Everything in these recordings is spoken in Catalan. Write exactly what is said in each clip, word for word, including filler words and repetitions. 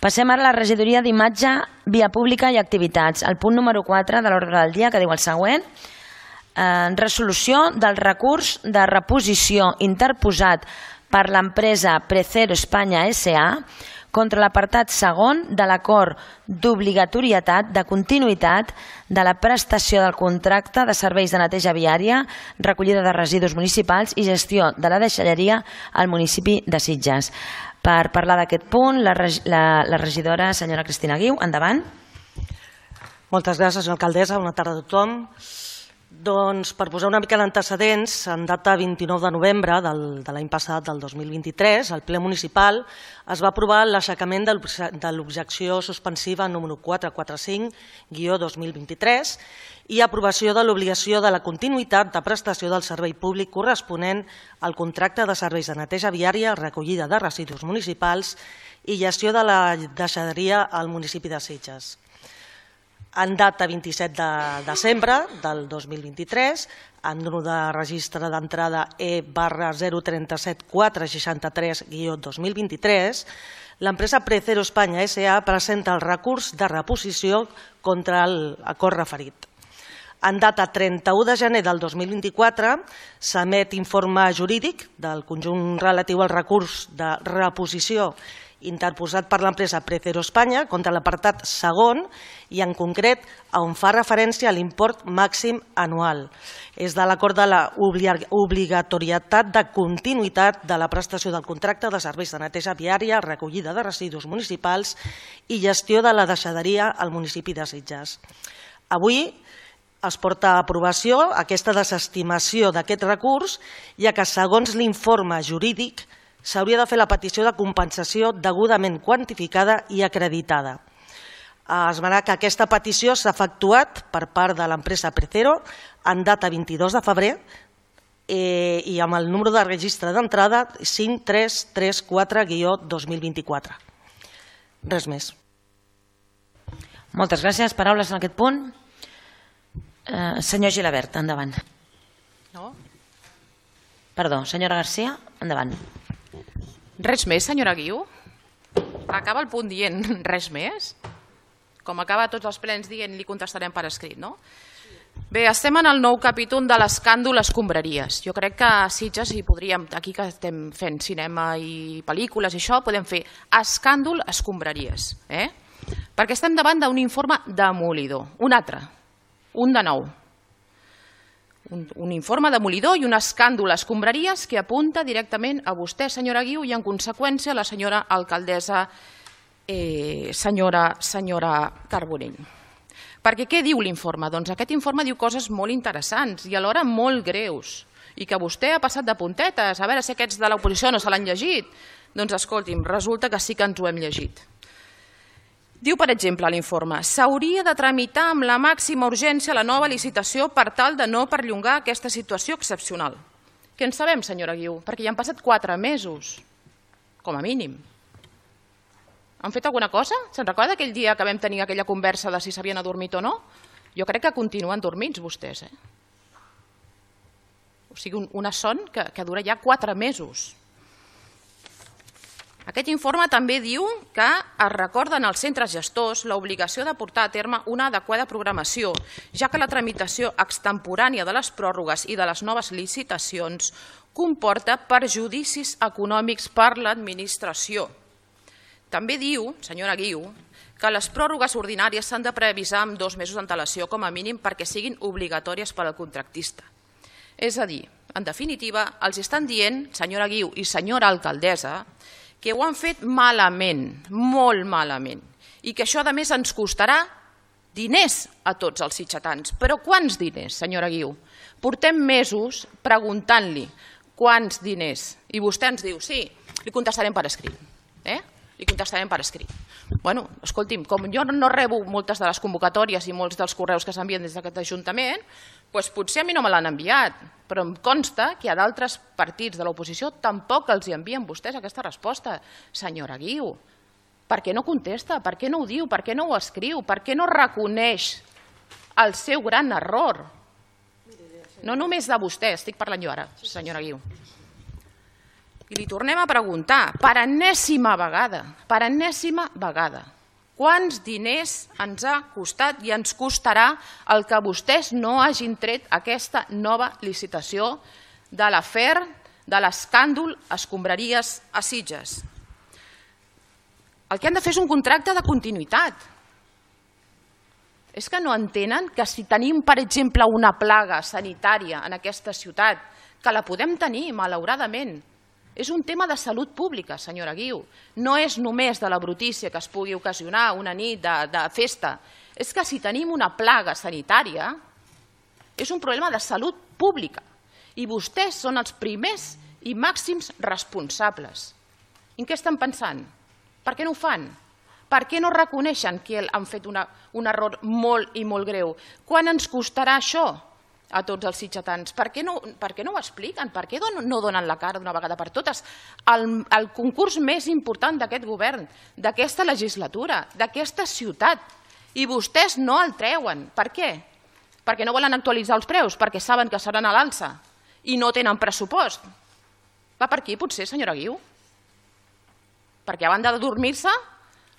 Passem ara a la regidoria d'imatge, via pública i activitats. El punt número quatre de l'ordre del dia, que diu el següent. Resolució del recurs de reposició interposat per l'empresa Precero Espanya S A contra l'apartat segon de l'acord d'obligatorietat de continuïtat de la prestació del contracte de serveis de neteja viària, recollida de residus municipals i gestió de la deixalleria al municipi de Sitges. Per parlar d'aquest punt, la, la, la regidora senyora Cristina Guiu, endavant. Moltes gràcies, senyora alcaldessa. Bona tarda a tothom. Doncs per posar una mica d'antecedents, en data vint-i-nou de novembre de l'any passat, del dos mil vint-i-tres, al ple municipal es va aprovar l'aixecament de l'objecció suspensiva número quatre cents i quaranta-cinc guió dos mil vint-i-tres i aprovació de l'obligació de la continuïtat de prestació del servei públic corresponent al contracte de serveis de neteja viària, recollida de residus municipals i gestió de la deixalleria al municipi de Sitges. En data vint-i-set de desembre del dos mil vint-i-tres, en número de registre d'entrada E barra zero tres set quatre sis tres guió dos mil vint-i-tres, l'empresa Precero Espanya S A presenta el recurs de reposició contra l'acord referit. En data trenta-u de gener del dos mil vint-i-quatre s'emet informe jurídic del conjunt relatiu al recurs de reposició interposat per l'empresa Precero Espanya contra l'apartat segon i en concret on fa referència a l'import màxim anual. És de l'acord de l'obligatorietat de continuïtat de la prestació del contracte de serveis de neteja viària, recollida de residus municipals i gestió de la deixalleria al municipi de Sitges. Avui es porta a aprovació aquesta desestimació d'aquest recurs, ja que segons l'informe jurídic s'hauria de fer la petició de compensació degudament quantificada i acreditada. Esmenar que aquesta petició s'ha efectuat per part de l'empresa Precero en data vint-i-dos de febrer i amb el número de registre d'entrada cinc tres tres quatre guió dos mil vint-i-quatre. Res més. Moltes gràcies. Paraules en aquest punt? Senyor Gilabert, endavant. No? Perdó, senyora Garcia, endavant. Res més, senyora Guiu? Acaba el punt dient res més? Com acaba tots els plens dient, li contestarem per escrit, no? Bé, estem en el nou capítol de l'escàndol escombraries. Jo crec que a Sitges, i podríem, aquí que estem fent cinema i pel·lícules i això, podem fer escàndol escombraries. Perquè estem davant d'un informe demolidor. Un altre, un de nou. Un informe demolidor i un escàndol escombraries que apunta directament a vostè, senyora Guiu, i en conseqüència a la senyora alcaldessa, senyora Carbonell. Perquè què diu l'informe? Doncs aquest informe diu coses molt interessants i alhora molt greus i que vostè ha passat de puntetes, a veure si aquests de l'oposició no se l'han llegit. Doncs escolti'm, resulta que sí que ens ho hem llegit. Diu, per exemple, l'informe, s'hauria de tramitar amb la màxima urgència la nova licitació per tal de no perllongar aquesta situació excepcional. Què en sabem, senyora Guiu? Perquè ja han passat quatre mesos, com a mínim. Han fet alguna cosa? Se'n recorda aquell dia que vam tenir aquella conversa de si s'havien adormit o no? Jo crec que continuen dormits vostès. O sigui, una son que dura ja quatre mesos. Aquest informe també diu que es recorden als centres gestors l'obligació de portar a terme una adequada programació, ja que la tramitació extemporània de les pròrrogues i de les noves licitacions comporta perjudicis econòmics per l'administració. També diu, senyora Guiu, que les pròrrogues ordinàries s'han de preavisar amb dos mesos d'antelació com a mínim perquè siguin obligatòries per al contractista. És a dir, en definitiva, els estan dient, senyora Guiu i senyora alcaldessa, que ho han fet malament, molt malament, i que això a més ens costarà diners a tots els sitgetans. Però quants diners, senyora Guiu? Portem mesos preguntant-li quants diners, i vostè ens diu, sí, li contestarem per escrit. Li contestarem per escrit. Bueno, escolti'm, com jo no rebo moltes de les convocatòries i molts dels correus que s'envien des d'aquest Ajuntament, doncs potser a mi no me l'han enviat, però em consta que a d'altres partits de l'oposició tampoc els envien vostès aquesta resposta. Senyora Guiu, per què no contesta? Per què no ho diu? Per què no ho escriu? Per què no reconeix el seu gran error? No només de vostè, estic parlant jo ara, senyora Guiu. I li tornem a preguntar, per enèsima vegada, per enèsima vegada, quants diners ens ha costat i ens costarà el que vostès no hagin tret aquesta nova licitació de l'afer de l'escàndol escombraries a Sitges? El que han de fer és un contracte de continuïtat. És que no entenen que si tenim, per exemple, una plaga sanitària en aquesta ciutat, que la podem tenir, malauradament, és un tema de salut pública, senyora Guiu. No és només de la brutícia que es pugui ocasionar una nit de, de festa. És que si tenim una plaga sanitària, és un problema de salut pública. I vostès són els primers i màxims responsables. I en què estan pensant? Per què no ho fan? Per què no reconeixen que han fet una, un error molt i molt greu? Quan ens costarà això a tots els sitgetans? Per què no, per què no ho expliquen? Per què no donen la cara d'una vegada per totes? El, el concurs més important d'aquest govern, d'aquesta legislatura, d'aquesta ciutat, i vostès no el treuen. Per què? Perquè no volen actualitzar els preus, perquè saben que seran a l'alça i no tenen pressupost. Va per aquí, potser, senyora Guiu? Perquè a banda de dormir-se,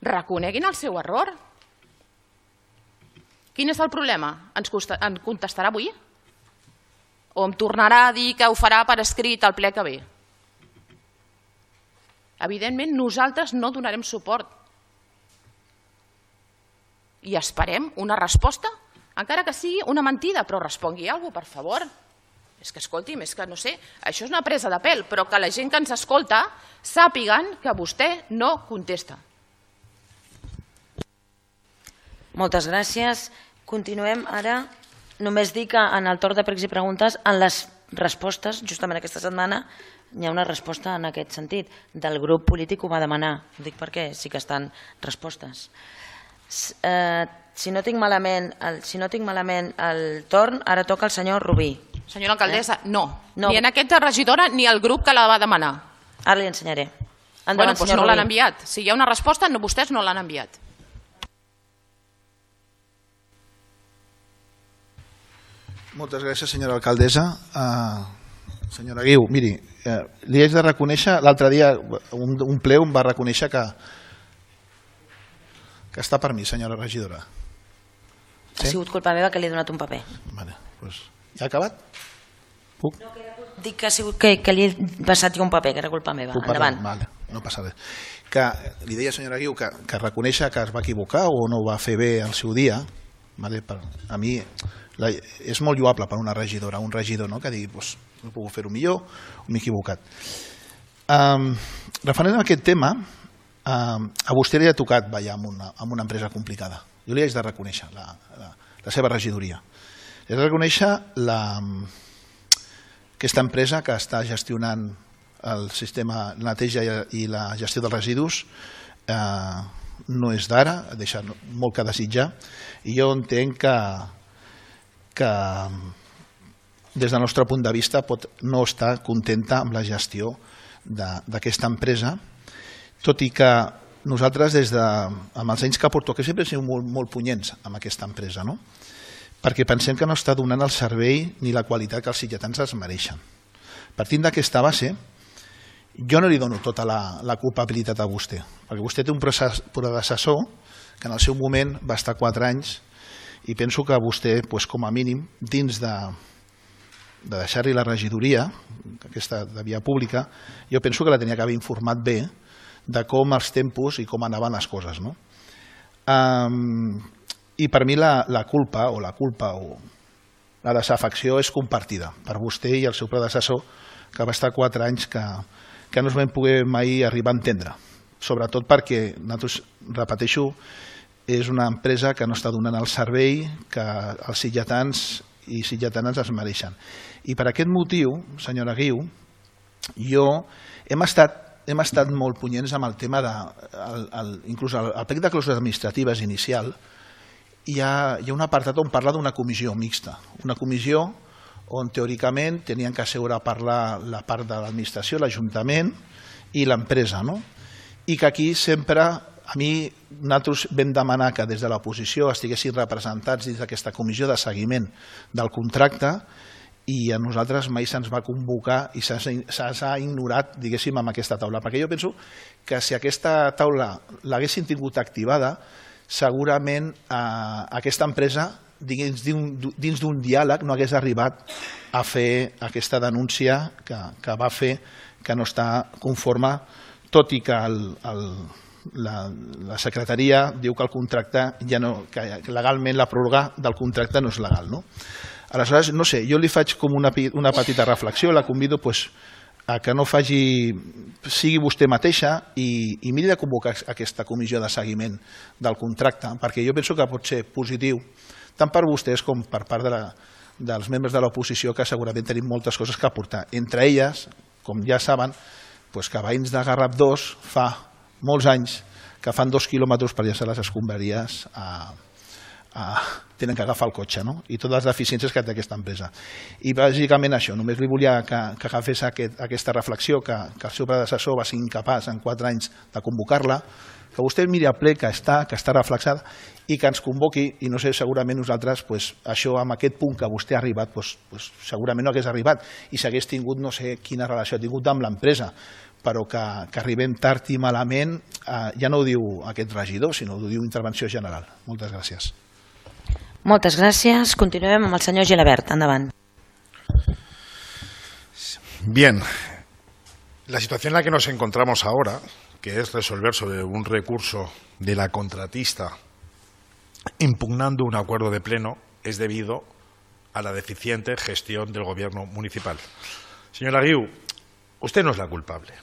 reconeguin el seu error. Quin és el problema? Ens contestarà avui? O em tornarà a dir que ho farà per escrit al ple que ve? Evidentment, nosaltres no donarem suport. I esperem una resposta, encara que sigui una mentida, però respongui alguna cosa, per favor. És que, escolti'm, és que no sé, això és una presa de pèl, però que la gent que ens escolta sàpiguen que vostè no contesta. Moltes gràcies. Continuem ara. Només dic que en el torn de pregs i preguntes, en les respostes, justament aquesta setmana, hi ha una resposta en aquest sentit. Del grup polític ho va demanar. Ho dic perquè sí que estan respostes. Eh, si no tinc malament el, si no tinc malament el torn, ara toca el senyor Rubí. Senyora alcaldessa, eh? no. no. Ni en aquesta regidora ni el grup que la va demanar. Ara li ensenyaré. Endavant, bueno, doncs no l'han enviat. Si hi ha una resposta, no, vostès no l'han enviat. Moltes gràcies, senyora alcaldessa. Uh, senyora Guiu, miri, uh, li haig de reconèixer, l'altre dia un, un ple em va reconèixer que, que està per mi, senyora regidora. Sí? Ha sigut culpa meva que li he donat un paper. Vale, doncs, ja ha acabat? Puc? No, que era, dic que ha sigut que, que li he passat jo un paper, que era culpa meva. Puc Endavant. Vale, no passa res. Que li deia, senyora Guiu, que, que reconèixer que es va equivocar o no ho va fer bé el seu dia, vale, per, a mi... La, és molt lloable per una regidora, un regidor, no? Que digui, pues, no puc fer-ho millor o m'he equivocat. Um, referent a aquest tema, um, a vostè li ha tocat ballar amb una, amb una empresa complicada. Jo li haig de reconèixer la, la, la seva regidoria. Li haig de reconèixer la, aquesta empresa que està gestionant el sistema de neteja i la gestió dels residus. Eh, no és d'ara, deixa molt que desitjar, i jo entenc que que des del nostre punt de vista pot no estar contenta amb la gestió d'aquesta empresa, tot i que nosaltres des de, amb els anys que porto, que sempre hem sigut molt, molt punyents amb aquesta empresa, no? Perquè pensem que no està donant el servei ni la qualitat que els sitgetans es mereixen. Partint d'aquesta base, jo no li dono tota la, la culpabilitat a vostè, perquè vostè té un predecessor que en el seu moment va estar quatre anys i penso que vostè, doncs, com a mínim, dins de, de deixar-li la regidoria, aquesta de via pública, jo penso que la tenia que haver informat bé de com els tempos i com anaven les coses, no? Um, I per mi la, la culpa o la culpa o la desafecció és compartida per vostè i el seu predecessor, que va estar quatre anys que, que no es vam poder mai arribar a entendre, sobretot perquè, nosaltres, repeteixo, és una empresa que no està donant el servei que els sitgetans i sitgetanes es mereixen. I per aquest motiu, senyora Guiu, jo hem estat, hem estat molt punyents amb el tema de, el, el, inclús el, el plec de clàusules administratives inicial, hi ha, hi ha un apartat on parla d'una comissió mixta, una comissió on teòricament tenien que asseure a parlar la part de l'administració, l'Ajuntament i l'empresa, no? I que aquí sempre... A mi, nosaltres vam demanar que des de l'oposició estiguessin representats dins d'aquesta comissió de seguiment del contracte i a nosaltres mai se'ns va convocar i s'ha ignorat, diguéssim, amb aquesta taula. Perquè jo penso que si aquesta taula l'haguessin tingut activada, segurament aquesta empresa, dins d'un diàleg, no hagués arribat a fer aquesta denúncia que va fer, que no està conforme, tot i que la secretaria diu que el contracte, que legalment la pròrroga del contracte no és legal. Aleshores, no sé, jo li faig com una petita reflexió, la convido a que no faci, sigui vostè mateixa i miri de convocar aquesta comissió de seguiment del contracte, perquè jo penso que pot ser positiu, tant per vostès com per part dels membres de l'oposició, que segurament tenim moltes coses que aportar. Entre elles, com ja saben, que veïns de Garraf dos fa molts anys que fan dos quilòmetres per llançar les escombraries a tenen que agafar el cotxe i totes les deficiències que té aquesta empresa. I bàsicament això, només li volia que agafés aquesta reflexió, que el seu predecessor va ser incapaç en quatre anys de convocar-la, que vostè miri el ple que està, que està reflexada i que ens convoqui, i no sé, segurament nosaltres, això amb aquest punt que vostè ha arribat, segurament no hagués arribat i s'hagués tingut, no sé quina relació ha tingut amb l'empresa, però que arribem tard i malament, ja no ho diu aquest regidor, sinó ho diu Intervenció General. Moltes gràcies. Moltes gràcies. Continuem amb el senyor Gilabert. Endavant. Bien. La situación en la que nos encontramos ahora, que es resolver sobre un recurso de la contratista impugnando un acuerdo de pleno, es debido a la deficiente gestión del gobierno municipal. Señora Guiu, usted no es la culpable.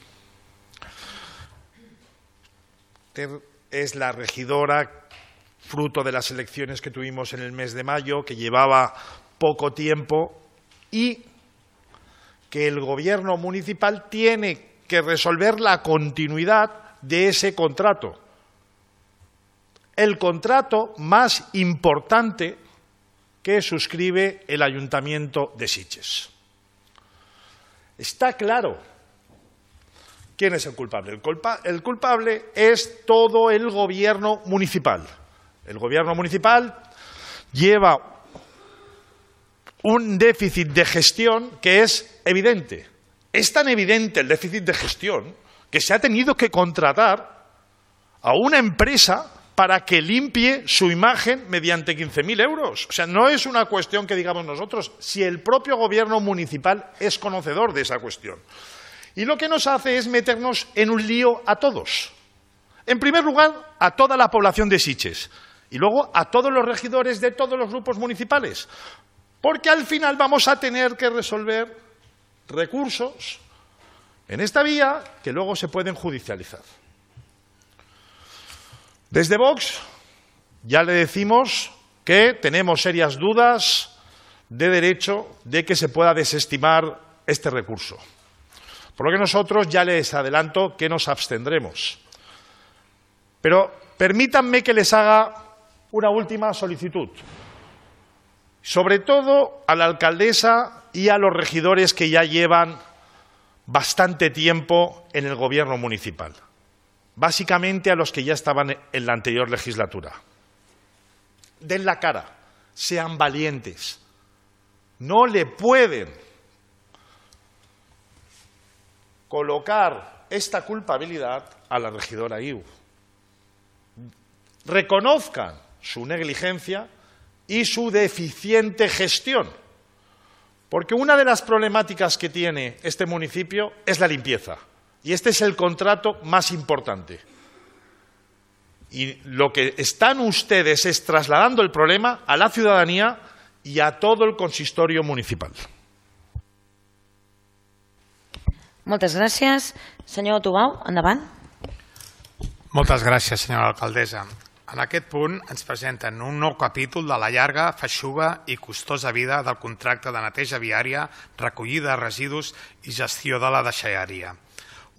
Usted es la regidora fruto de las elecciones que tuvimos en el mes de mayo, que llevaba poco tiempo y que el gobierno municipal tiene que resolver la continuidad de ese contrato. El contrato más importante que suscribe el Ayuntamiento de Sitges. Está claro quién es el culpable. El, culpa, el culpable es todo el gobierno municipal. El gobierno municipal lleva un déficit de gestión que es evidente. Es tan evidente el déficit de gestión que se ha tenido que contratar a una empresa para que limpie su imagen mediante quince mil euros. O sea, no es una cuestión que digamos nosotros, si el propio gobierno municipal es conocedor de esa cuestión. Y lo que nos hace es meternos en un lío a todos. En primer lugar, a toda la población de Sitges. Y luego a todos los regidores de todos los grupos municipales. Porque al final vamos a tener que resolver recursos en esta vía que luego se pueden judicializar. Desde Vox ya le decimos que tenemos serias dudas de derecho de que se pueda desestimar este recurso. Por lo que nosotros ya les adelanto que nos abstendremos. Pero permítanme que les haga una última solicitud, sobre todo a la alcaldesa y a los regidores que ya llevan bastante tiempo en el gobierno municipal, básicamente a los que ya estaban en la anterior legislatura. Den la cara, sean valientes, no le pueden colocar esta culpabilidad a la regidora Guiu. Reconozcan su negligencia y su deficiente gestión, porque una de las problemáticas que tiene este municipio es la limpieza, y este es el contrato más importante. Y lo que están ustedes es trasladando el problema a la ciudadanía y a todo el consistorio municipal. Moltes gràcies. Senyor Tubau, endavant. Moltes gràcies, senyora alcaldessa. En aquest punt ens presenten un nou capítol de la llarga, feixuga i costosa vida del contracte de neteja viària, recollida de residus i gestió de la deixalleria.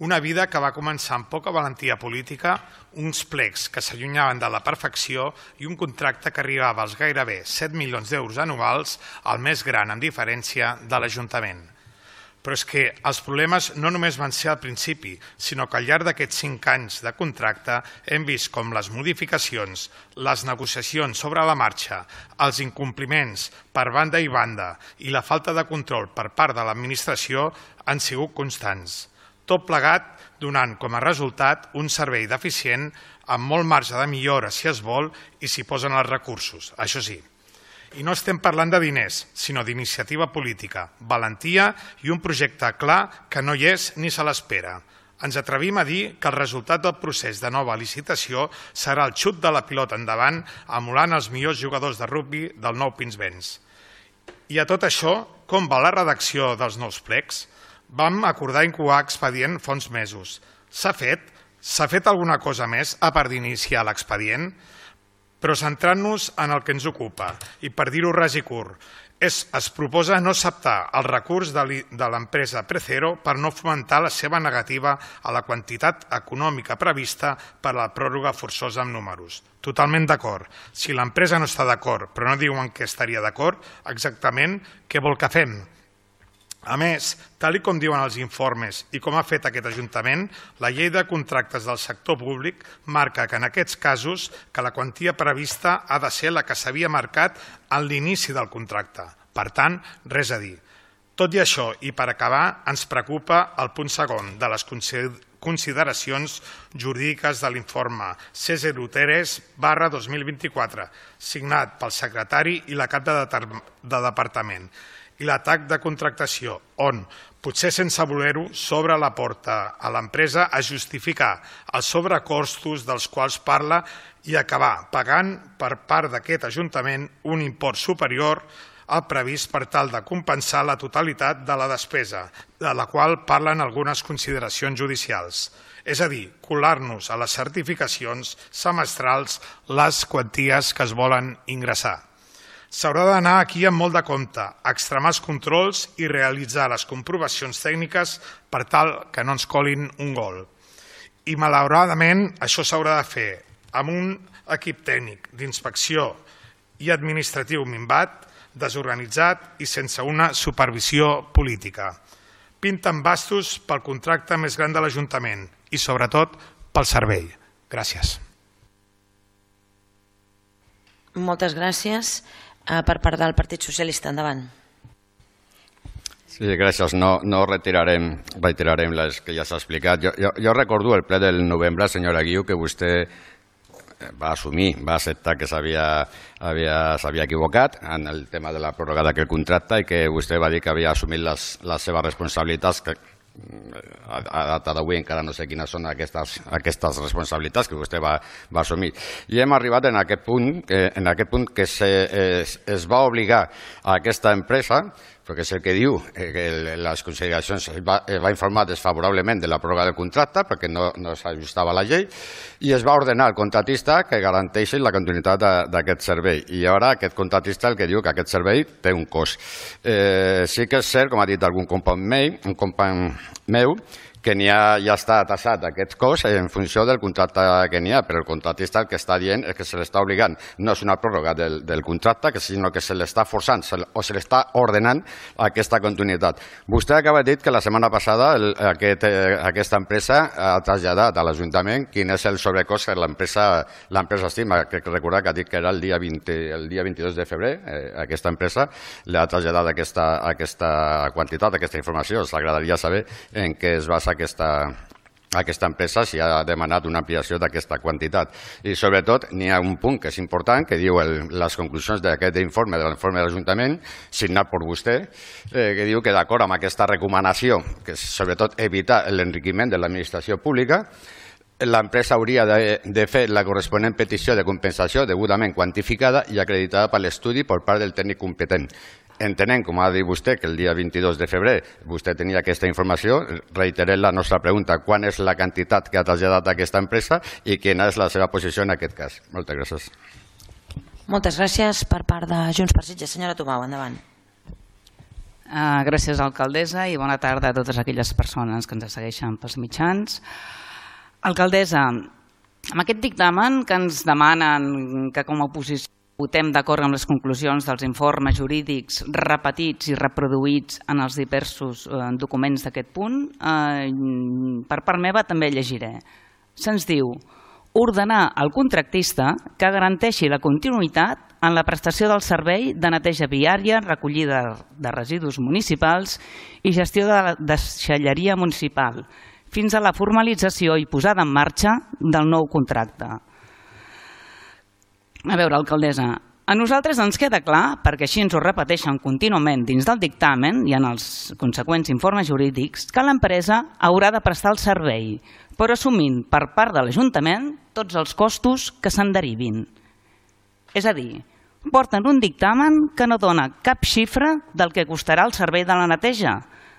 Una vida que va començar amb poca valentia política, uns plecs que s'allunyaven de la perfecció i un contracte que arribava als gairebé set milions d'euros anuals, el més gran en diferència de l'Ajuntament. Però és que els problemes no només van ser al principi, sinó que al llarg d'aquests cinc anys de contracte hem vist com les modificacions, les negociacions sobre la marxa, els incompliments per banda i banda i la falta de control per part de l'administració han sigut constants. Tot plegat donant com a resultat un servei deficient amb molt marge de millora si es vol i s'hi posen els recursos, això sí. I no estem parlant de diners, sinó d'iniciativa política, valentia i un projecte clar que no hi és ni se l'espera. Ens atrevim a dir que el resultat del procés de nova licitació serà el xut de la pilota endavant, emulant els millors jugadors de rugbi del nou Pinsbens. I a tot això, com va la redacció dels nous plecs? Vam acordar incoar expedient fa uns mesos. S'ha fet? S'ha fet alguna cosa més a part d'iniciar l'expedient? Però centrant-nos en el que ens ocupa, i per dir-ho ras i curt, es, es proposa no acceptar el recurs de l'empresa Precero per no fomentar la seva negativa a la quantitat econòmica prevista per a la pròrroga forçosa amb números. Totalment d'acord. Si l'empresa no està d'acord, però no diuen que estaria d'acord, exactament què vol que fem? A més, tal com diuen els informes i com ha fet aquest Ajuntament, la llei de contractes del sector públic marca que en aquests casos que la quantia prevista ha de ser la que s'havia marcat en l'inici del contracte. Per tant, res a dir. Tot i això, i per acabar, ens preocupa el punt segon de les consideracions jurídiques de l'informe C zero tres barra dos mil vint-i-quatre, signat pel secretari i la cap de departament, i l'atac de contractació, on, potser sense voler-ho, s'obre la porta a l'empresa a justificar els sobrecostos dels quals parla i acabar pagant per part d'aquest Ajuntament un import superior al previst per tal de compensar la totalitat de la despesa, de la qual parlen algunes consideracions judicials. És a dir, colar-nos a les certificacions semestrals les quanties que es volen ingressar. S'haurà d'anar aquí amb molt de compte, extremar els controls i realitzar les comprovacions tècniques per tal que no ens colin un gol. I malauradament això s'haurà de fer amb un equip tècnic d'inspecció i administratiu minvat, desorganitzat i sense una supervisió política. Pinten bastos pel contracte més gran de l'Ajuntament i sobretot pel servei. Gràcies. Moltes gràcies. Per part del Partit Socialista, endavant. Sí, gràcies. No, no retirarem, retirarem les que ja s'ha explicat. Jo, jo, jo recordo el ple del novembre, senyora Guiu, que vostè va assumir, va acceptar que s'havia havia, s'havia equivocat en el tema de la pròrroga d'aquest contracte i que vostè va dir que havia assumit les, les seves responsabilitats, que a data d'avui encara no sé quines són aquestes, aquestes responsabilitats que vostè va, va assumir. I hem arribat en aquest punt, en aquest punt que se, es, es va obligar a aquesta empresa, perquè és el que diu, que les consideracions va, va informar desfavorablement de la pròrroga del contracte perquè no, no s'ajustava a la llei i es va ordenar al contratista que garanteixi la continuïtat d'aquest servei. I ara aquest contratista el que diu que aquest servei té un cost. Eh, sí que és cert, com ha dit algun company meu, un company meu, que n'hi ha, ja està tassat aquest cost en funció del contracte que n'hi ha, però el contratista el que està dient és que se l'està obligant, no és una pròrroga del, del contracte, sinó que se l'està forçant se, o se l'està ordenant aquesta continuïtat. Vostè acaba de dir que la setmana passada el, aquest, eh, aquesta empresa ha traslladat a l'Ajuntament quin és el sobrecost que l'empresa estima, que recordar que ha dit que era el dia, vint, el dia vint-i-dos de febrer, eh, aquesta empresa li ha traslladat aquesta, aquesta quantitat, aquesta informació. Ens agradaria saber en què es basa Aquesta, aquesta empresa si ha demanat una ampliació d'aquesta quantitat. I sobretot n'hi ha un punt que és important, que diu el, les conclusions d'aquest informe, de l'informe de l'Ajuntament, signat per vostè, eh, que diu que d'acord amb aquesta recomanació, que és sobretot evitar l'enriquiment de l'administració pública, l'empresa hauria de, de fer la corresponent petició de compensació degudament quantificada i acreditada per l'estudi per part del tècnic competent. Entenent, com ha dit vostè, que el dia vint-i-dos de febrer vostè tenia aquesta informació, reiterem la nostra pregunta, quan és la quantitat que ha traslladat aquesta empresa i quina és la seva posició en aquest cas. Moltes gràcies. Moltes gràcies per part de Junts per Sitges. Senyora Tomau, endavant. Uh, gràcies, alcaldessa, i bona tarda a totes aquelles persones que ens segueixen pels mitjans. Alcaldessa, amb aquest dictamen que ens demanen que com a oposició votem d'acord amb les conclusions dels informes jurídics repetits i reproduïts en els diversos documents d'aquest punt. Per part meva també llegiré. Se'ns diu ordenar al contractista que garanteixi la continuïtat en la prestació del servei de neteja viària, recollida de residus municipals i gestió de la deixalleria municipal, fins a la formalització i posada en marxa del nou contracte. A veure, alcaldessa, a nosaltres ens queda clar, perquè així ens ho repeteixen contínuament dins del dictamen i en els conseqüents informes jurídics, que l'empresa haurà de prestar el servei, però assumint per part de l'Ajuntament tots els costos que se'n derivin. És a dir, porten un dictamen que no dona cap xifra del que costarà el servei de la neteja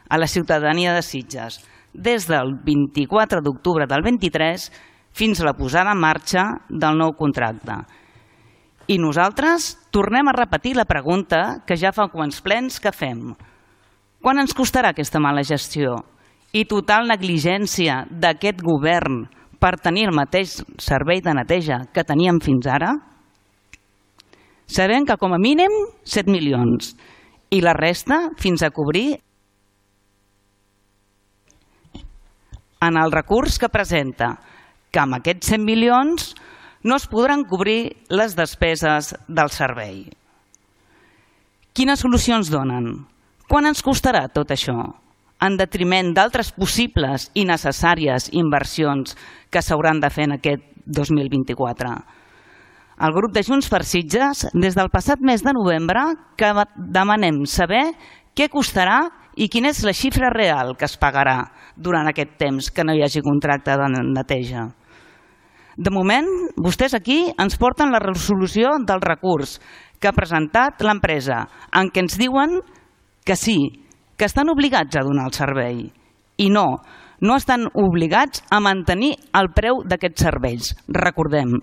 a la ciutadania de Sitges, des del vint-i-quatre d'octubre del vint-i-tres fins a la posada en marxa del nou contracte. I nosaltres tornem a repetir la pregunta que ja fa quants plens que fem. Quan ens costarà aquesta mala gestió i total negligència d'aquest govern per tenir el mateix servei de neteja que teníem fins ara? Sabem que com a mínim set milions i la resta fins a cobrir en el recurs que presenta, que amb aquests set milions no es podran cobrir les despeses del servei. Quines solucions donen? Quan ens costarà tot això? En detriment d'altres possibles i necessàries inversions que s'hauran de fer en aquest dos mil vint-i-quatre. El grup de Junts per Sitges, des del passat mes de novembre, que demanem saber què costarà i quina és la xifra real que es pagarà durant aquest temps que no hi hagi contracte de neteja. De moment, vostès aquí ens porten la resolució del recurs que ha presentat l'empresa, en què ens diuen que sí, que estan obligats a donar el servei. I no, no estan obligats a mantenir el preu d'aquests serveis. Recordem,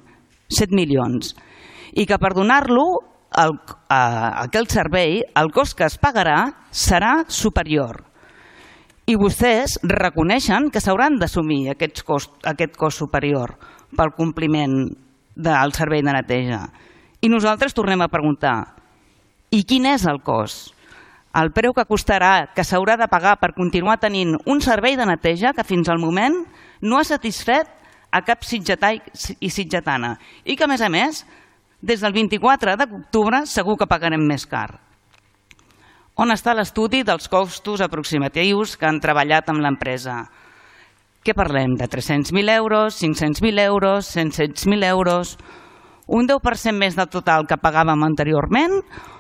set milions. I que per donar-lo, aquell servei, el cost que es pagarà serà superior. I vostès reconeixen que s'hauran d'assumir aquest cost superior pel compliment del servei de neteja. I nosaltres tornem a preguntar, i quin és el cost? El preu que costarà, que s'haurà de pagar per continuar tenint un servei de neteja que fins al moment no ha satisfet a cap sitgetà i sitgetana i que, a més a més, des del vint-i-quatre d'octubre segur que pagarem més car. On està l'estudi dels costos aproximatius que han treballat amb l'empresa? Què parlem? De tres-cents mil euros, cinc-cents mil euros, cent mil euros? Un deu per cent més del total que pagàvem anteriorment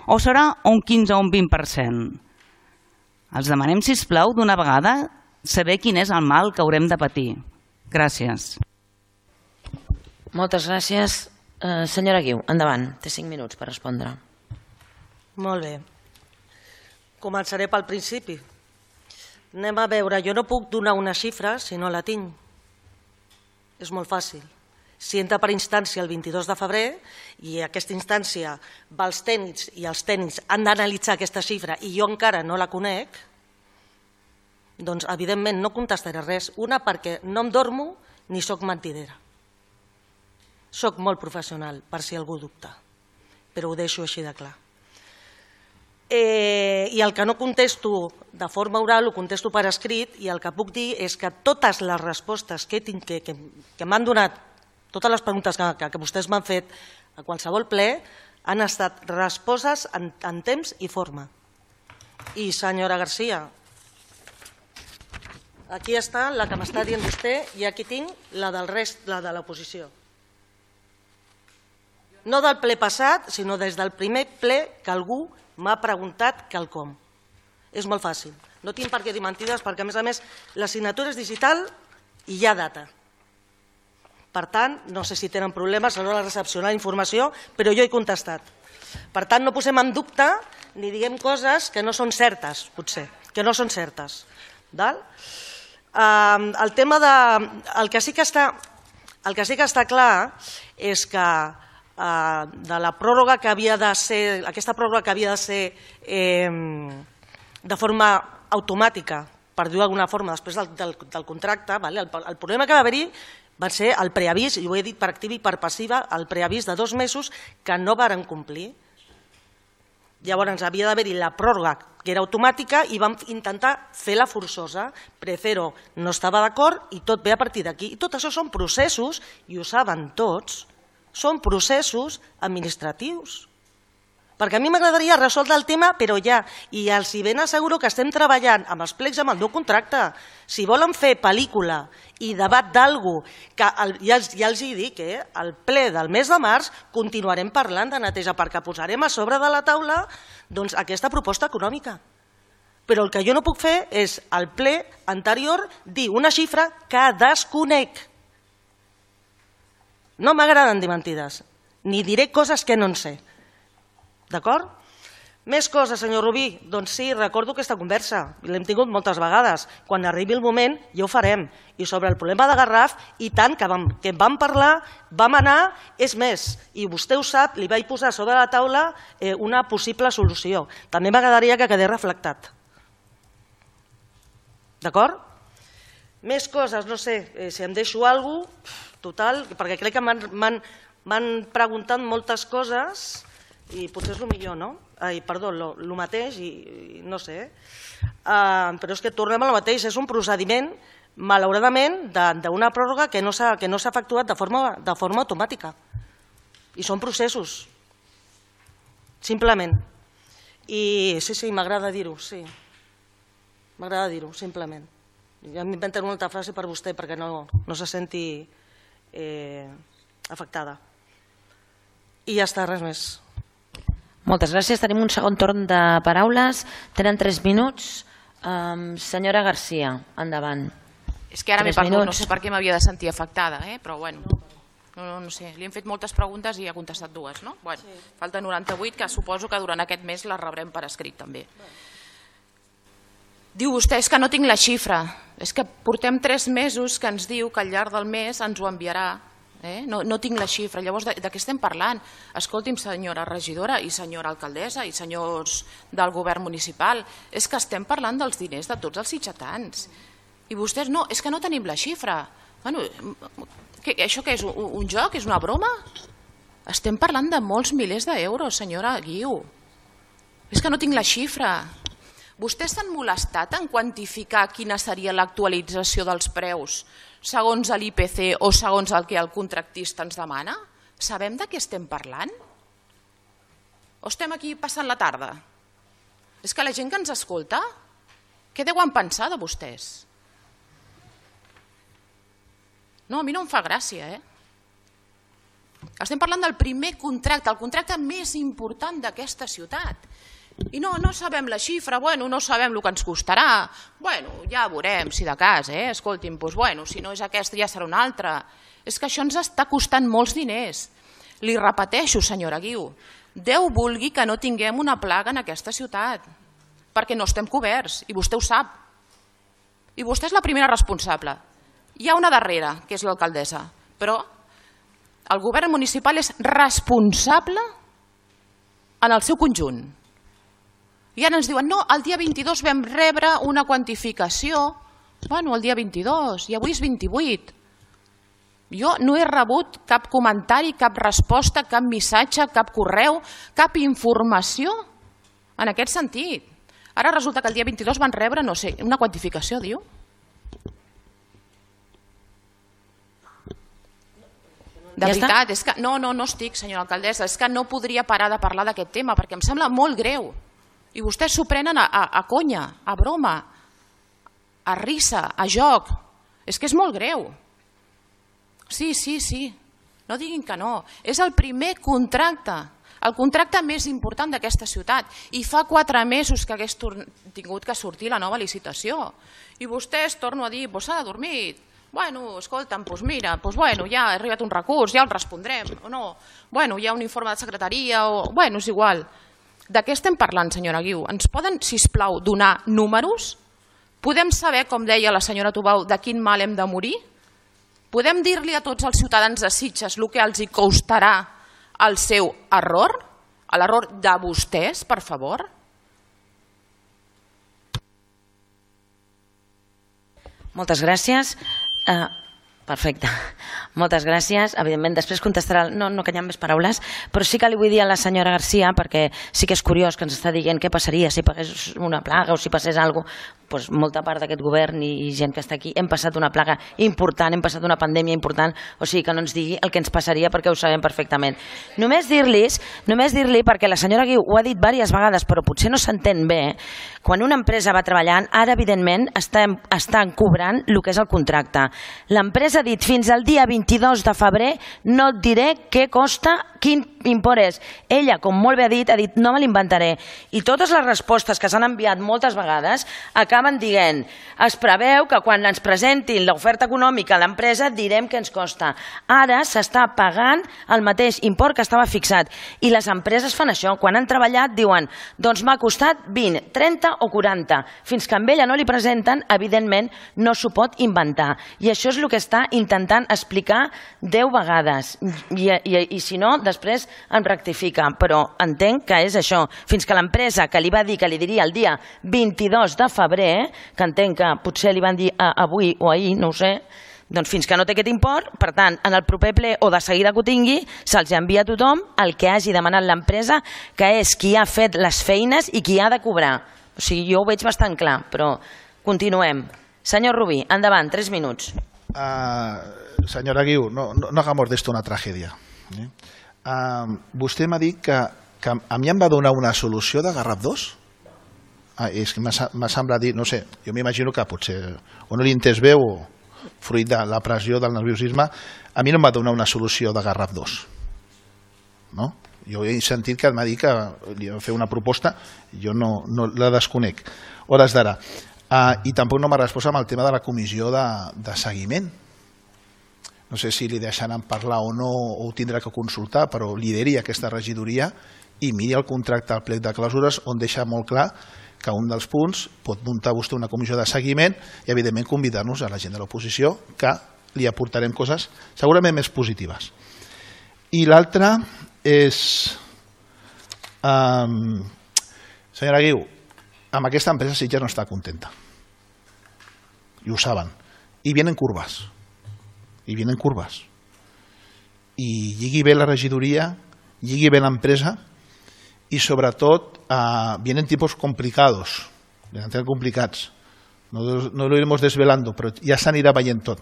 o serà un quinze o un vint per cent? Els demanem, sisplau, d'una vegada saber quin és el mal que haurem de patir. Gràcies. Moltes gràcies. Eh, senyora Guiu, endavant. Té cinc minuts per respondre. Molt bé. Començaré pel principi. Anem a veure, jo no puc donar una xifra si no la tinc. És molt fàcil. Si entra per instància el vint-i-dos de febrer i aquesta instància va als tècnics i els tècnics han d'analitzar aquesta xifra i jo encara no la conec, doncs evidentment no contestaré res. Una, perquè no em dormo ni soc mentidera. Soc molt professional, per si algú dubta, però ho deixo així de clar. Eh, I el que no contesto de forma oral ho contesto per escrit i el que puc dir és que totes les respostes que, tinc, que, que, que m'han donat, totes les preguntes que, que, que vostès m'han fet a qualsevol ple han estat respostes en, en temps i forma. I senyora Garcia, aquí està la que m'està dient vostè i aquí tinc la del rest, la de l'oposició. No del ple passat, sinó des del primer ple que algú m'ha preguntat quelcom. És molt fàcil. No tinc per què dir mentides perquè, a més a més, la signatura és digital i hi ha data. Per tant, no sé si tenen problemes a l'hora de recepcionar informació, però jo he contestat. Per tant, no posem en dubte ni diguem coses que no són certes, potser, que no són certes. El tema de... El que sí que està, el que sí que està clar és que de la pròrroga que havia de ser, aquesta pròrroga que havia de ser eh, de forma automàtica, per dir-ho d'alguna forma, després del, del, del contracte, vale? el, el problema que va haver-hi Va ser el preavís, i ho he dit per activa i per passiva, el preavís de dos mesos que no varen complir. Llavors havia d'haver-hi la pròrroga, que era automàtica, i vam intentar fer-la forçosa. Precero no estava d'acord i tot ve a partir d'aquí. I tot això són processos, i ho saben tots, són processos administratius. Perquè a mi m'agradaria resoldre el tema, però ja, i els hi ben asseguro que estem treballant amb els plecs amb el nou contracte. Si volen fer pel·lícula i debat d'algú, que ja els hi dic, al ple del mes de març continuarem parlant de neteja, perquè posarem a sobre de la taula aquesta proposta econòmica. Però el que jo no puc fer és, al ple anterior, dir una xifra que desconec. No m'agraden dir mentides, ni diré coses que no en sé. D'acord? Més coses, senyor Rubí. Doncs sí, recordo aquesta conversa, i l'hem tingut moltes vegades. Quan arribi el moment ja ho farem. I sobre el problema de Garraf, i tant que en vam parlar, vam anar, és més, i vostè ho sap, li vaig posar sobre la taula una possible solució. També m'agradaria que quedés reflectat. D'acord? Més coses, no sé, si em deixo alguna cosa, total, perquè crec que m'han preguntat moltes coses i potser és el millor, no? Ai, perdó, el mateix, i no sé. Però és que tornem al mateix, és un procediment, malauradament, d'una pròrroga que no s'ha efectuat de forma automàtica. I són processos, simplement. I sí, sí, m'agrada dir-ho, sí. M'agrada dir-ho, simplement. Ja m'inventaré una altra frase per vostè perquè no se senti afectada. I ja està, res més. Moltes gràcies. Tenim un segon torn de paraules. Tenen tres minuts. Senyora Garcia, endavant. És que ara m'he perdut, no sé per què m'havia de sentir afectada, però bueno, no sé, li hem fet moltes preguntes i ha contestat dues, no? Bueno, falta noranta-vuit, que suposo que durant aquest mes les rebrem per escrit també. Diu vostè, és que no tinc la xifra, és que portem tres mesos que ens diu que al llarg del mes ens ho enviarà. No tinc la xifra, llavors de què estem parlant? Escolti'm, senyora regidora i senyora alcaldessa i senyors del govern municipal, és que estem parlant dels diners de tots els sitgetans. I vostès no, és que no tenim la xifra. Això què és, un joc? És una broma? Estem parlant de molts milers d'euros, senyora Guiu. És que no tinc la xifra. Vostès s'han molestat en quantificar quina seria l'actualització dels preus segons l'I P C o segons el que el contractista ens demana? Sabem de què estem parlant? O estem aquí passant la tarda? És que la gent que ens escolta, què deuen pensar de vostès? No, a mi no em fa gràcia, eh? Estem parlant del primer contracte, el contracte més important d'aquesta ciutat. I no, no sabem la xifra, bueno, no sabem el que ens costarà, bueno, ja veurem si de cas, eh, escolti'm, doncs bueno, si no és aquesta ja serà una altra. És que això ens està costant molts diners. Li repeteixo, senyora Guiu, Déu vulgui que no tinguem una plaga en aquesta ciutat, perquè no estem coberts, i vostè ho sap. I vostè és la primera responsable. Hi ha una darrere, que és l'alcaldessa, però el govern municipal és responsable en el seu conjunt. I ara ens diuen, no, el dia vint-i-dos vam rebre una quantificació. Bueno, el dia vint-i-dos, i avui és vint-i-vuit. Jo no he rebut cap comentari, cap resposta, cap missatge, cap correu, cap informació en aquest sentit. Ara resulta que el dia vint-i-dos van rebre, no sé, una quantificació, diu. De veritat, és que no, no, no estic, senyora alcaldessa, és que no podria parar de parlar d'aquest tema perquè em sembla molt greu. I vostès s'ho prenen a conya, a broma, a risa, a joc. És que és molt greu. Sí, sí, sí, no diguin que no. És el primer contracte, el contracte més important d'aquesta ciutat. I fa quatre mesos que hagués tingut que sortir la nova licitació. I vostès, torno a dir, s'ha de dormir. Bueno, escolta'm, doncs mira, doncs bueno, ja ha arribat un recurs, ja el respondrem, o no. Bueno, hi ha un informe de secretaria, o... Bueno, és igual. De què estem parlant, senyora Guiu? Ens poden, sisplau, donar números? Podem saber, com deia la senyora Tubau, de quin mal hem de morir? Podem dir-li a tots els ciutadans de Sitges el que els hi costarà el seu error? L'error de vostès, per favor? Moltes gràcies. Perfecte. Moltes gràcies. Evidentment, després contestarà... No, no que hi ha més paraules, però sí que li vull dir a la senyora Garcia, perquè sí que és curiós que ens està dient què passaria si pagués una plaga o si passés alguna cosa. Doncs molta part d'aquest govern i gent que està aquí hem passat una plaga important, hem passat una pandèmia important, o sigui que no ens digui el que ens passaria perquè ho sabem perfectament. Només dir-lis, només dir-li, perquè la senyora Guiu ho ha dit diverses vegades, però potser no s'entén bé, quan una empresa va treballant, ara evidentment estan, estan cobrant el que és el contracte. L'empresa ha dit fins al dia vint-i-dos de febrer no et diré què costa, quin import és. Ella, com molt bé ha dit, ha dit no me l'inventaré. I totes les respostes que s'han enviat moltes vegades acaben dient es preveu que quan ens presentin l'oferta econòmica a l'empresa direm què ens costa. Ara s'està pagant el mateix import que estava fixat. I les empreses fan això. Quan han treballat diuen doncs m'ha costat vint, trenta o quaranta. Fins que amb ella no li presenten, evidentment no s'ho pot inventar. I això és el que està intentant explicar deu vegades. I, i, i si no, després em rectifica, però entenc que és això. Fins que l'empresa que li va dir que li diria el dia vint-i-dos de febrer, que entenc que potser li van dir avui o ahir, no ho sé, doncs fins que no té aquest import, per tant, en el proper ple o de seguida que ho tingui, se'ls envia a tothom el que hagi demanat l'empresa, que és qui ha fet les feines i qui ha de cobrar. O sigui, jo ho veig bastant clar, però continuem. Senyor Rubí, endavant, tres minuts. Uh, senyora Guiu, no, no, no hagamos d'esto una tragèdia. Eh? Uh, vostè m'ha dit que, que a mi em va donar una solució de Garraf dos? Ah, és que m'ha semblat dir, no sé, jo m'imagino que potser o no l'he entès bé o fruit de la pressió del nerviosisme, a mi no em va donar una solució de Garraf dos. No? Jo he sentit que m'ha dit que li va fer una proposta, jo no, no la desconec. Hores d'ara. Uh, I tampoc no m'ha respost amb el tema de la comissió de, de seguiment. No sé si li deixaran parlar o no, o ho tindrà que consultar, però lideri aquesta regidoria i miri el contracte al plec de clausures on deixa molt clar que un dels punts pot muntar vostè una comissió de seguiment i evidentment convidar-nos a la gent de l'oposició que li aportarem coses segurament més positives. I l'altre és... Um, senyora Guiu, amb aquesta empresa Sitges no està contenta. I ho saben. I vienen curvas. I vienen curvas. I lligui bé la regidoria, lligui bé l'empresa y sobre todo uh, vienen tiempos complicados, vienen complicats. No, no lo iremos desvelando, però ja s'anirà veient tot.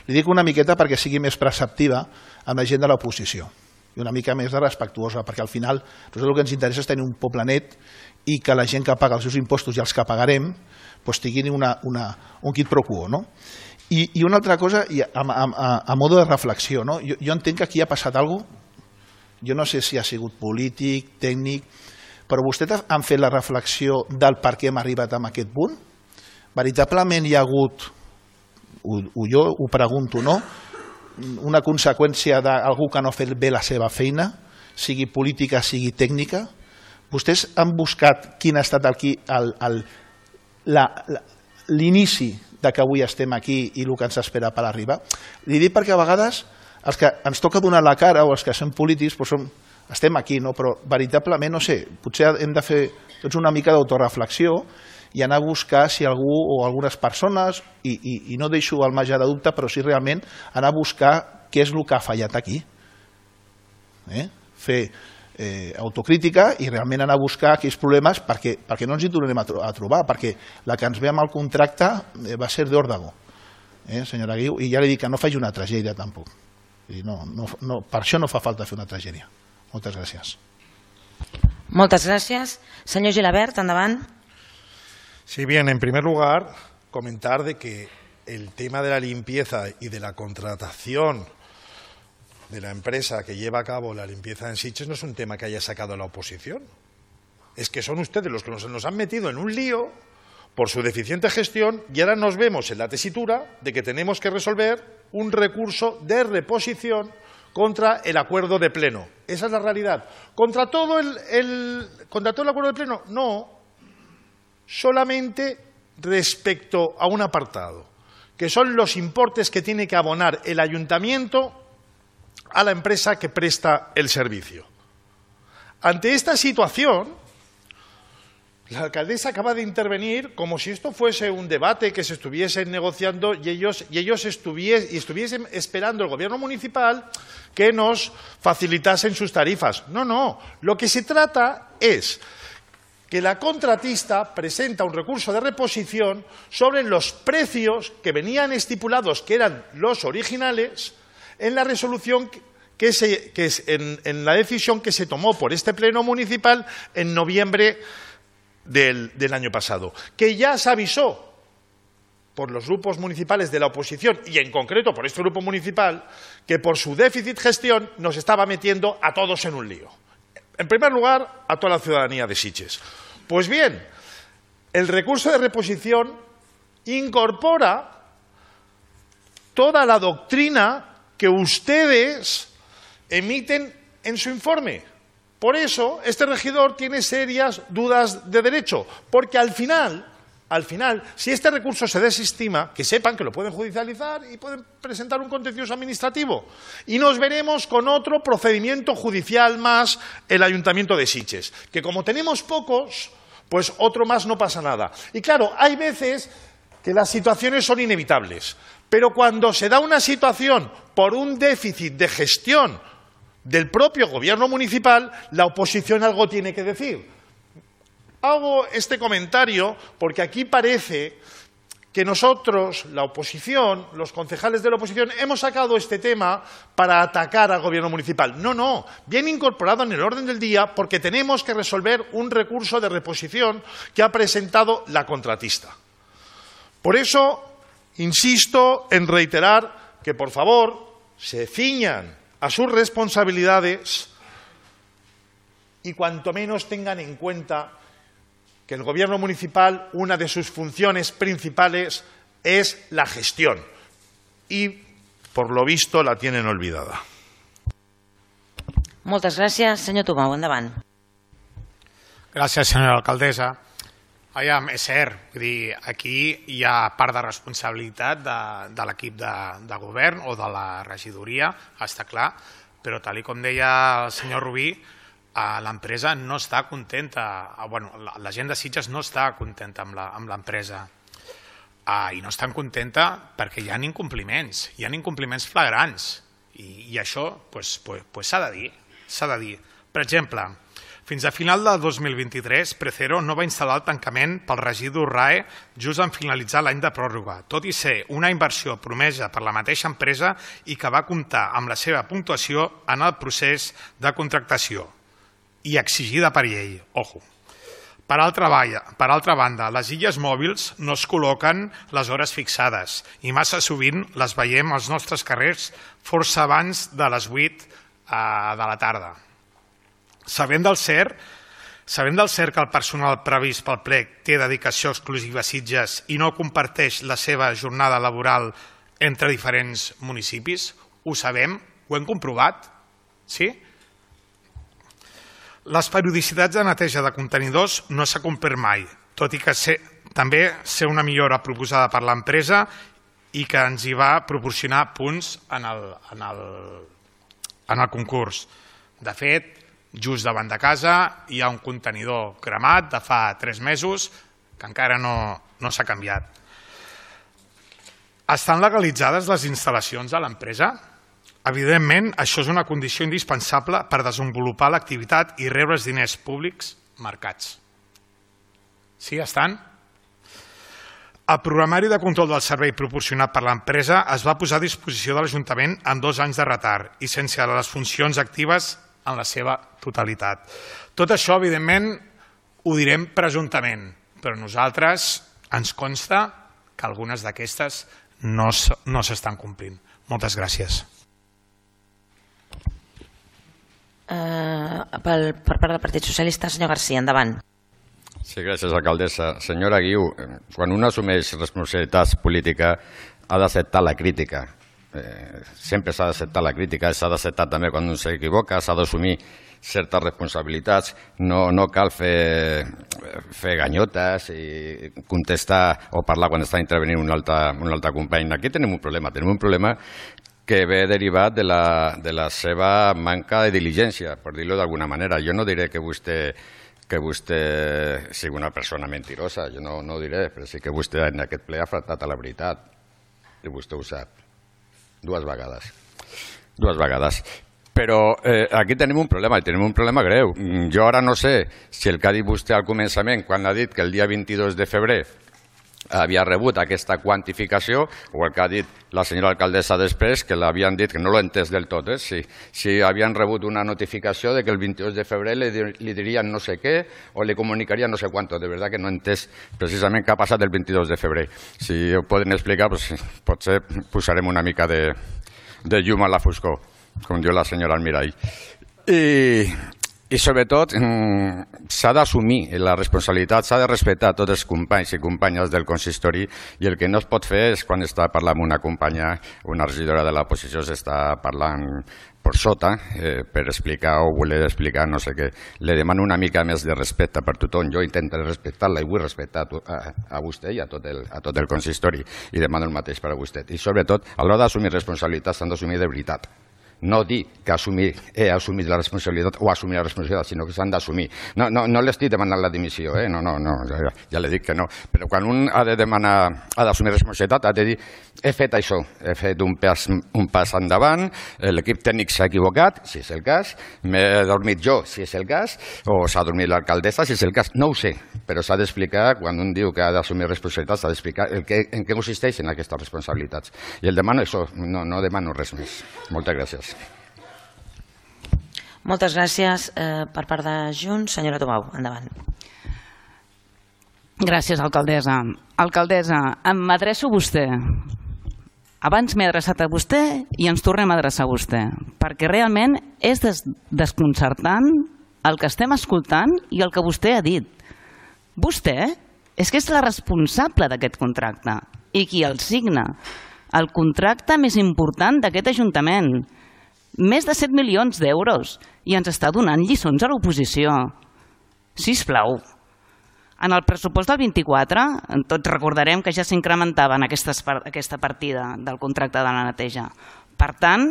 Li dic una miqueta perquè sigui més perceptiva amb la gent de l'oposició i una mica més de respectuosa, perquè al final el que ens interessa és tenir un poble net i que la gent que paga els seus impostos i els que pagarem pues, tinguin una, una, un quid pro quo. No? I, I una altra cosa, i a, a, a, a modo de reflexió, no? jo, jo entenc que aquí ha passat alguna cosa. Jo no sé si ha sigut polític, tècnic, però vostès han fet la reflexió del per què hem arribat a aquest punt? Veritablement hi ha hagut, ho, ho jo ho pregunto, no? Una conseqüència d'algú que no ha fet bé la seva feina, sigui política, sigui tècnica? Vostès han buscat quin ha estat l'inici de que avui estem aquí i el que ens espera per arribar? Li dic perquè a vegades els que ens toca donar la cara o els que som polítics doncs som, estem aquí, no? Però veritablement, no sé, potser hem de fer tots una mica d'autoreflexió i anar a buscar si algú o algunes persones, i, i, i no deixo el marge de dubte, però sí realment anar a buscar què és el que ha fallat aquí. Eh? Fer eh, autocrítica i realment anar a buscar aquells problemes perquè, perquè no ens hi tornem a, tro a trobar, perquè la que ens ve amb el contracte eh, va ser d'Òrdago, eh, senyora Guiu, i ja li dic que no faci una tragèdia tampoc. No, no, no, per això no fa falta fer una tragèdia. Moltes gràcies. Moltes gràcies. Senyor Gilabert, endavant. Sí, bien, en primer lugar, comentar de que el tema de la limpieza y de la contratación de la empresa que lleva a cabo la limpieza en Sitges no es un tema que haya sacado la oposición. Es que son ustedes los que nos, nos han metido en un lío por su deficiente gestión y ahora nos vemos en la tesitura de que tenemos que resolver un recurso de reposición contra el acuerdo de pleno. Esa es la realidad. ¿Contra todo el, el, contra todo el acuerdo de pleno? No. Solamente respecto a un apartado, que son los importes que tiene que abonar el ayuntamiento a la empresa que presta el servicio. Ante esta situación, La alcaldesa acaba de intervenir como si esto fuese un debate que se estuviese negociando y ellos, y ellos estuvies, y estuviesen esperando el gobierno municipal que nos facilitasen sus tarifas. No, no. Lo que se trata es que la contratista presenta un recurso de reposición sobre los precios que venían estipulados, que eran los originales, en la resolución que se, que es en, en la decisión que se tomó por este pleno municipal en noviembre Del, del año pasado, que ya se avisó por los grupos municipales de la oposición y en concreto por este grupo municipal que por su déficit gestión nos estaba metiendo a todos en un lío. En primer lugar, a toda la ciudadanía de Sitges. Pues bien, el recurso de reposición incorpora toda la doctrina que ustedes emiten en su informe. Por eso, este regidor tiene serias dudas de derecho, porque al final, al final, si este recurso se desestima, que sepan que lo pueden judicializar y pueden presentar un contencioso administrativo. Y nos veremos con otro procedimiento judicial más el Ayuntamiento de Sitges, que como tenemos pocos, pues otro más no pasa nada. Y claro, hay veces que las situaciones son inevitables, pero cuando se da una situación por un déficit de gestión del propio gobierno municipal, la oposición algo tiene que decir. Hago este comentario porque aquí parece que nosotros, la oposición, los concejales de la oposición, hemos sacado este tema para atacar al gobierno municipal. No, no, viene incorporado en el orden del día porque tenemos que resolver un recurso de reposición que ha presentado la contratista. Por eso, insisto en reiterar que, por favor, se ciñan a sus responsabilidades y cuanto menos tengan en cuenta que el gobierno municipal, una de sus funciones principales es la gestión y, por lo visto, la tienen olvidada. Moltes gràcies. Senyor Tomau, endavant. Gràcies, senyora alcaldessa. Aviam, és cert, vull dir, aquí hi ha part de responsabilitat de, de l'equip de, de govern o de la regidoria, està clar, però tal com deia el senyor Rubí, l'empresa no està contenta, bueno, la gent de Sitges no està contenta amb l'empresa i no estan contenta perquè hi ha incompliments, hi ha incompliments flagrants i, i això pues, pues, pues s'ha de dir, s'ha de dir. Per exemple, fins a final del dos mil vint-i-tres, Precero no va instal·lar el tancament pel residu R A E just en finalitzar l'any de pròrroga, tot i ser una inversió promesa per la mateixa empresa i que va comptar amb la seva puntuació en el procés de contractació i exigida per llei. Ojo. Per altra, per altra banda, les illes mòbils no es col·loquen les hores fixades i massa sovint les veiem als nostres carrers força abans de les vuit de la tarda. Sabem del cert, sabem del cert que el personal previst pel plec té dedicació exclusiva a Sitges i no comparteix la seva jornada laboral entre diferents municipis? Ho sabem? Ho hem comprovat? Sí? Les periodicitats de neteja de contenidors no s'ha complert mai, tot i que ser, també ser una millora proposada per l'empresa i que ens hi va proporcionar punts en el, en el, en el concurs. De fet, just davant de casa hi ha un contenidor cremat de fa tres mesos que encara no, no s'ha canviat. Estan legalitzades les instal·lacions de l'empresa? Evidentment, això és una condició indispensable per desenvolupar l'activitat i rebre els diners públics marcats. Sí, estan? El programari de control del servei proporcionat per l'empresa es va posar a disposició de l'Ajuntament amb dos anys de retard i sense les funcions actives en la seva totalitat. Tot això, evidentment, ho direm presumptament, però a nosaltres ens consta que algunes d'aquestes no s'estan complint. Moltes gràcies. Uh, per, per part del Partit Socialista, senyor García, endavant. Sí, gràcies, alcaldessa. Senyora Guiu, quan un assumeix responsabilitats polítiques ha d'acceptar la crítica. Eh, sempre s'ha d'acceptar la crítica, s'ha d'acceptar també quan un s'equivoca, s'ha d'assumir certes responsabilitats, no, no cal fer, fer ganyotes i contestar o parlar quan està intervenint un altre, un altre company. Aquí tenim un problema, tenim un problema que ve derivat de la, de la seva manca de diligència, per dir-ho d'alguna manera. Jo no diré que vostè que vostè sigui una persona mentirosa, jo no, no ho diré, però sí que vostè en aquest ple ha faltat a la veritat, i vostè ho sap, dues vegades. Dues vegades. Però eh, aquí tenim un problema, i tenim un problema greu. Jo ara no sé si el que ha dit vostè al començament, quan ha dit que el dia vint-i-dos de febrer havia rebut aquesta quantificació, o el que ha dit la senyora alcaldessa després, que l'havien dit, que no l'he entès del tot, eh? si, si havien rebut una notificació de que el vint-i-dos de febrer li, li dirien no sé què o li comunicarien no sé quanto. De veritat que no he entès precisament què ha passat el vint-i-dos de febrer. Si ho poden explicar, pues, potser posarem una mica de, de llum a la foscor, com diu la senyora Almirall. I, i sobretot s'ha d'assumir la responsabilitat, s'ha de respectar tots els companys i companyes del consistori, i el que no es pot fer és quan està parlant amb una companya, una regidora de l'oposició s'està parlant per sota eh, per explicar o voler explicar no sé què. Le demano una mica més de respecte per tothom. Jo intentaré respectar-la i vull respectar a, a vostè i a tot, el, a tot el consistori, i demano el mateix per a vostè. I sobretot, a l'hora d'assumir responsabilitats s'han d'assumir de veritat. No dir que assumir, he assumit la responsabilitat o assumir la responsabilitat, sinó que s'han d'assumir. No, no, no l'estic demanant la dimissió, eh? no, no, no, ja, ja li dic que no. Però quan un ha de demanar, ha d'assumir responsabilitat, ha de dir, he fet això, he fet un pas, un pas endavant, l'equip tècnic s'ha equivocat, si és el cas, m'he dormit jo, si és el cas, o s'ha dormit l'alcaldessa, si és el cas, no ho sé, però s'ha d'explicar, quan un diu que ha d'assumir responsabilitats, s'ha d'explicar en què consisteixen aquestes responsabilitats. I el demano això, no, no demano res més. Moltes gràcies. Moltes gràcies eh, per part de Junts. Senyora Tomau, endavant. Gràcies, alcaldessa. Alcaldessa, m'adreço a vostè. Abans m'he adreçat a vostè i ens tornem a adreçar a vostè, perquè realment és des desconcertant el que estem escoltant i el que vostè ha dit. Vostè és que és la responsable d'aquest contracte i qui el signa. El contracte més important d'aquest Ajuntament. Més de set milions d'euros i ens està donant lliçons a l'oposició. Sisplau. En el pressupost del vint-i-quatre, tots recordarem que ja s'incrementava en aquesta partida del contracte de la neteja. Per tant,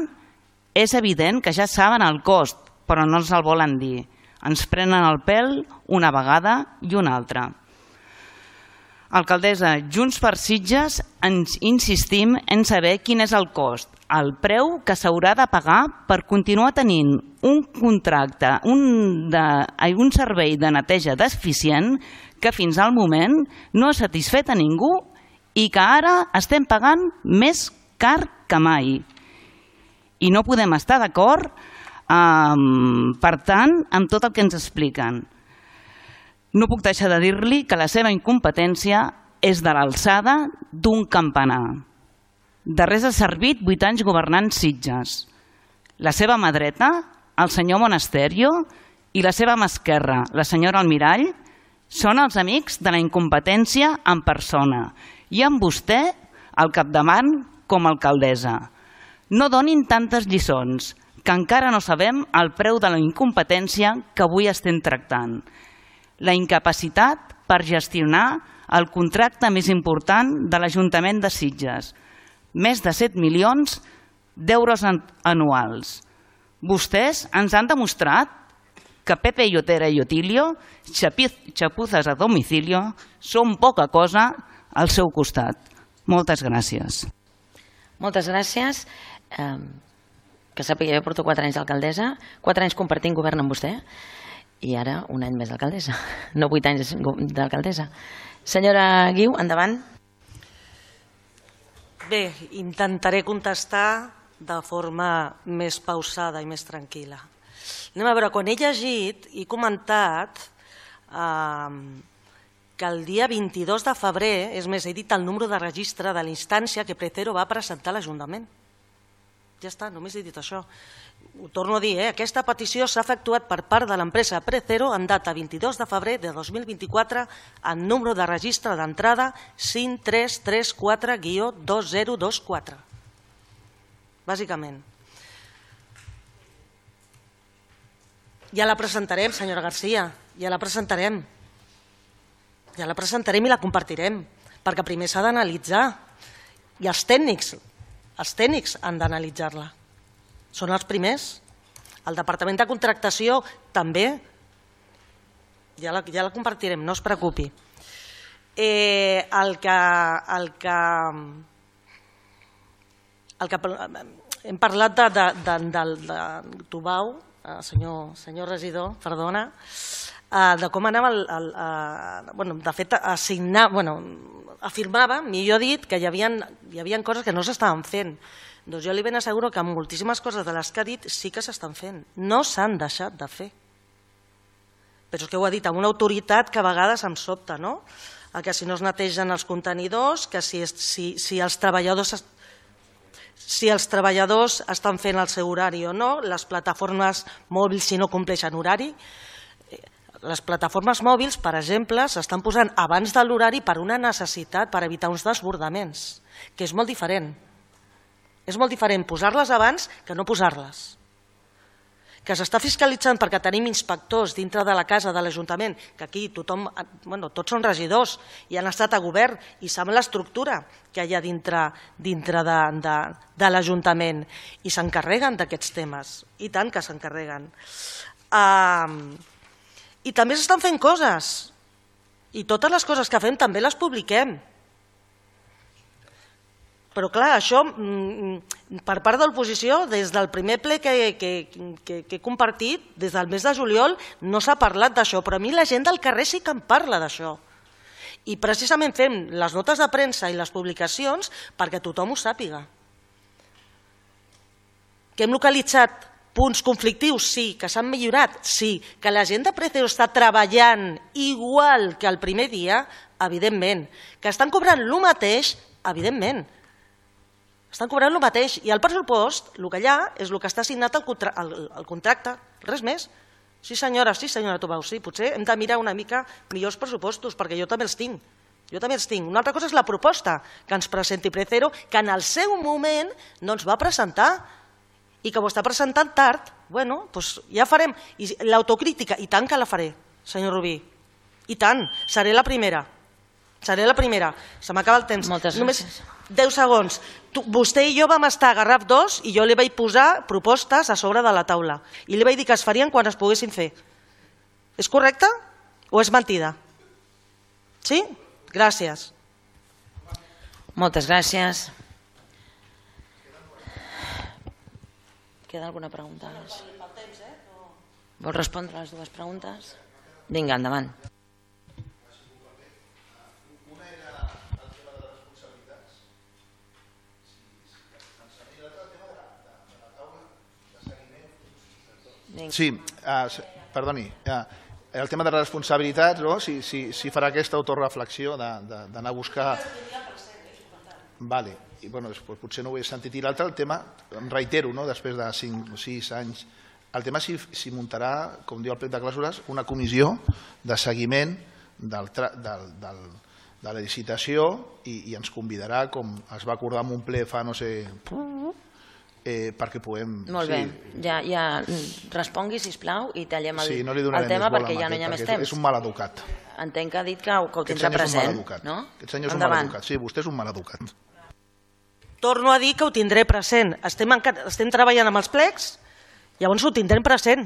és evident que ja saben el cost, però no ens el volen dir. Ens prenen el pèl una vegada i una altra. Alcaldessa, Junts per Sitges ens insistim en saber quin és el cost, el preu que s'haurà de pagar per continuar tenint un contracte, un, de, un servei de neteja deficient que fins al moment no ha satisfet a ningú i que ara estem pagant més car que mai. I no podem estar d'acord, eh, per tant, amb tot el que ens expliquen. No puc deixar de dir-li que la seva incompetència és de l'alçada d'un campanar. De res ha servit vuit anys governant Sitges. La seva mà dreta, el senyor Monasterio, i la seva mà esquerra, la senyora Almirall, són els amics de la incompetència en persona i amb vostè al capdavant com a alcaldessa. No donin tantes lliçons, que encara no sabem el preu de la incompetència que avui estem tractant. La incapacitat per gestionar el contracte més important de l'Ajuntament de Sitges. Més de set milions d'euros anuals. Vostès ens han demostrat que Pepe Llotera i Otilio, chapuzas a domicilio, són poca cosa al seu costat. Moltes gràcies. Moltes gràcies. Eh, que sàpiga, jo porto quatre anys d'alcaldessa, quatre anys compartint govern amb vostè, i ara un any més d'alcaldessa, no vuit anys d'alcaldessa. Senyora Guiu, endavant. Bé, intentaré contestar de forma més pausada i més tranquil·la. Anem a veure, quan he llegit i comentat eh, que el dia vint-i-dos de febrer, és més, he dit el número de registre de la instància que Precero va presentar a l'Ajuntament. Ja està, només he dit això. Ho torno a dir, eh? Aquesta petició s'ha efectuat per part de l'empresa Precero en data vint-i-dos de febrer de dos mil vint-i-quatre en número de registre d'entrada cinc tres tres quatre guió dos zero dos quatre. Bàsicament. Ja la presentarem, senyora Garcia, ja la presentarem. Ja la presentarem i la compartirem, perquè primer s'ha d'analitzar. I els tècnics, els tècnics han d'analitzar-la. Són els primers. El Departament de Contractació també. ja la, ja la compartirem, no es preocupi. Eh, el que... El que, el que hem parlat de, de, de, de, de Tubau, senyor, senyor regidor, perdona, de com anava, el, el, el, bueno, de fet, assignar, bueno, afirmava, millor dit, que hi havia, hi havia coses que no s'estaven fent. Doncs jo li ben asseguro que moltíssimes coses de les que ha dit sí que s'estan fent. No s'han deixat de fer. Però és que ho ha dit amb una autoritat que a vegades em sobta, no? Que si no es netegen els contenidors, que si, si, si els treballadors... si els treballadors estan fent el seu horari o no, les plataformes mòbils si no compleixen horari. Les plataformes mòbils, per exemple, s'estan posant abans de l'horari per una necessitat, per evitar uns desbordaments, que és molt diferent. És molt diferent posar-les abans que no posar-les. Que s'està fiscalitzant perquè tenim inspectors dintre de la casa de l'Ajuntament, que aquí tothom, bueno, tots són regidors i han estat a govern i saben l'estructura que hi ha dintre, dintre de, de, de l'Ajuntament i s'encarreguen d'aquests temes, i tant que s'encarreguen. Uh, I també s'estan fent coses, i totes les coses que fem també les publiquem. Però clar, això per part de l'oposició, des del primer ple que, que, que, que he compartit, des del mes de juliol, no s'ha parlat d'això, però a mi la gent del carrer sí que em parla d'això. I precisament fem les notes de premsa i les publicacions perquè tothom ho sàpiga. Que hem localitzat punts conflictius? Sí. Que s'han millorat? Sí. Que la gent de Precero està treballant igual que el primer dia? Evidentment. Que estan cobrant el mateix? Evidentment. Estan cobrant el mateix i el pressupost, el que hi ha, és el que està assignat al contra el, el contracte, res més. Sí senyora, sí senyora Tubau, sí, potser hem de mirar una mica millors pressupostos, perquè jo també els tinc. Jo també els tinc. Una altra cosa és la proposta que ens presenti Precero, que en el seu moment no ens va presentar i que ho està presentant tard. Bueno, doncs ja farem. I l'autocrítica, i tant que la faré, senyor Rubí. I tant, seré la primera. Seré la primera. Se m'acaba el temps. Moltes Només gràcies. deu segons. Tu, vostè i jo vam estar a Garraf dos i jo li vaig posar propostes a sobre de la taula. I li vaig dir que es farien quan es poguessin fer. És correcte o és mentida? Sí? Gràcies. Moltes gràcies. Queda alguna pregunta? Vol respondre a les dues preguntes? Vinga, endavant. Sí, uh, perdoni, uh, el tema de les responsabilitats, no? si, si, si farà aquesta autoreflexió d'anar a buscar... Vale. I, bueno, pues, potser no ho he sentit. I l'altre, el tema, em reitero, no? Després de cinc o sis anys, el tema si, si muntarà, com diu el plec de clàusules, una comissió de seguiment del, del, del, de la licitació i, i ens convidarà, com es va acordar en un ple fa no sé... Eh, perquè puguem... Molt bé, sí. ja, ja respongui, sisplau, i tallem el, sí, no el tema perquè ja no hi ha més temps. És un mal educat. Entenc que ha dit que, que ho tindrà present. No? Aquest senyor és un mal educat. Sí, vostè és un mal educat. Torno a dir que ho tindré present. Estem, en, estem treballant amb els plecs, llavors ho tindrem present.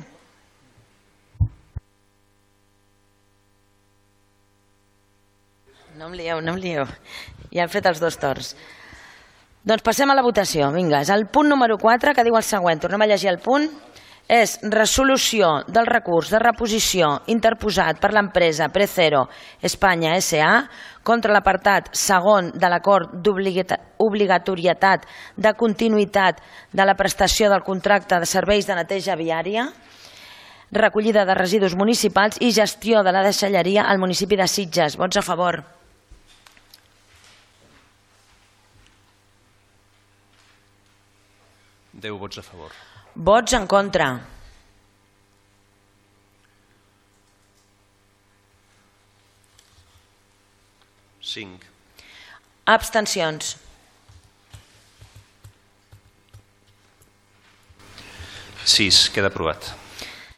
No em lieu, no em lieu. Ja hem fet els dos torns. Doncs passem a la votació. Vinga, és el punt número quatre que diu el següent. Tornem a llegir el punt. És resolució del recurs de reposició interposat per l'empresa Precero Espanya S A contra l'apartat segon de l'acord d'obligatorietat de continuïtat de la prestació del contracte de serveis de neteja viària, recollida de residus municipals i gestió de la deixalleria al municipi de Sitges. Vots a favor. deu vots a favor. Vots en contra. cinc. Abstencions. sis. Queda aprovat.